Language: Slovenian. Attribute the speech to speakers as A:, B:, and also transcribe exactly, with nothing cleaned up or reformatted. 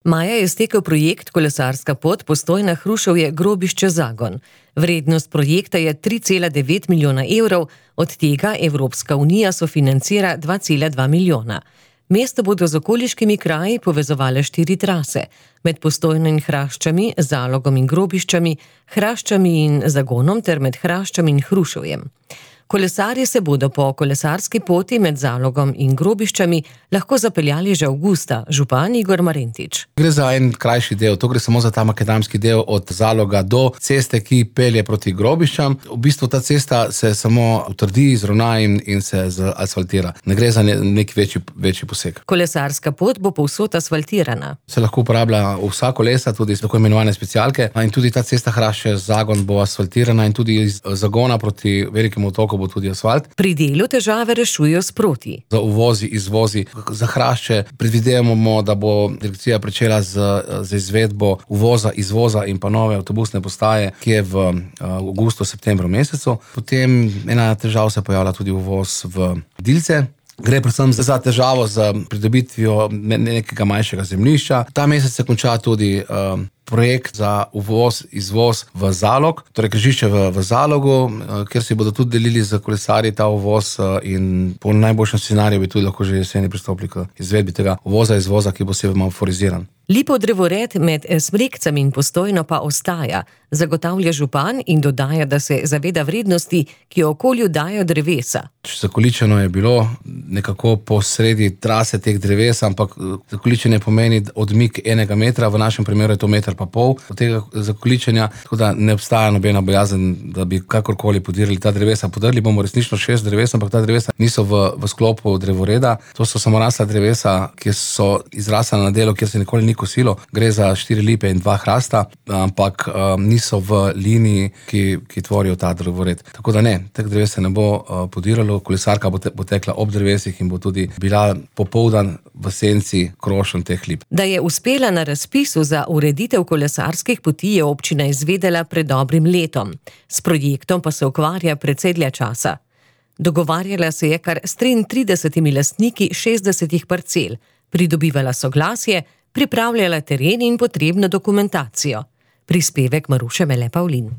A: Maja je stekel projekt Kolesarska pot Postojna-Hruševje-Grobišče-Zagon. Vrednost projekta je tri cela devet milijona evrov, od tega Evropska unija sofinancira dva cela dva milijona. Mesto bodo z okoliškimi kraji povezovale štiri trase, med Postojno in Hraščami, Zalogom in Grobiščami, Hraščami in Zagonom ter med Hraščami in Hruševjem. Kolesarji se bodo po kolesarski poti med Zalogom in Grobiščami lahko zapeljali že avgusta, župan Igor Marentič.
B: Gre za en krajši del, to gre samo za ta makadamski del od Zaloga do ceste, ki pelje proti Grobiščam. V bistvu ta cesta se samo utrdi, izravna in, in se asfaltira. Ne gre za ne, nek večji, večji poseg.
A: Kolesarska pot bo povsod asfaltirana.
B: Se lahko uporablja vsa kolesa, tudi tako imenovane specialke, in tudi ta cesta Hrašče-Zagon bo asfaltirana in tudi iz Zagona proti velikemu otoku bo tudi asfalt.
A: Pri delu težave rešujejo sproti.
B: Za uvozi, izvozi, za Hrašče predvidevamo, da bo direkcija pričela z, z izvedbo uvoza, izvoza in pa nove avtobusne postaje, ki je v avgustu, septembru mesecu. Potem ena težava se pojavlja tudi uvoz v Dilce. Gre predvsem za težavo z pridobitvijo nekega manjšega zemljišča. Ta mesec se konča tudi uh, projekt za uvoz, izvoz v Zalog, torej križišče v, v Zalogu, uh, kjer si bodo tudi delili z kolesarji ta uvoz uh, in po najboljšem scenariju bi tudi lahko že jeseni pristopili k izvedbi tega uvoza, izvoza, ki bo semaforiziran.
A: Lipov drevored med Smrekcami in Postojno pa ostaja, zagotavlja župan in dodaja, da se zaveda vrednosti, ki jo okolju dajo drevesa.
B: Zakoličeno je bilo nekako po sredi trase teh dreves, ampak zakoličenje pomeni odmik enega metra, v našem primeru je to meter pa pol od tega zakoličenja, tako da ne obstaja nobena bojazen, da bi kakorkoli podirali ta drevesa. Podrli bomo resnično šest dreves, ampak ta drevesa niso v, v sklopu drevoreda. To so samorasla drevesa, ki so izrasla na delu, kjer se nikoli ni kosilo. Gre za štiri lipe in dva hrasta, ampak um, niso v liniji, ki, ki tvorijo ta drevored. Tako da ne, teh dreves se ne bo uh, podiralo, kolesarka bo, te, bo tekla ob drevesih in bo tudi bila popoldan v senci krošen teh lip.
A: Da je uspela na razpisu za ureditev kolesarskih poti, je občina izvedela pred dobrim letom. S projektom pa se ukvarja precej dlje časa. Dogovarjala se je kar s triintridesetimi lastniki šestdesetih parcel, pridobivala soglasje, pripravljala teren in potrebno dokumentacijo. Prispevek Maruše Mele Pavlin.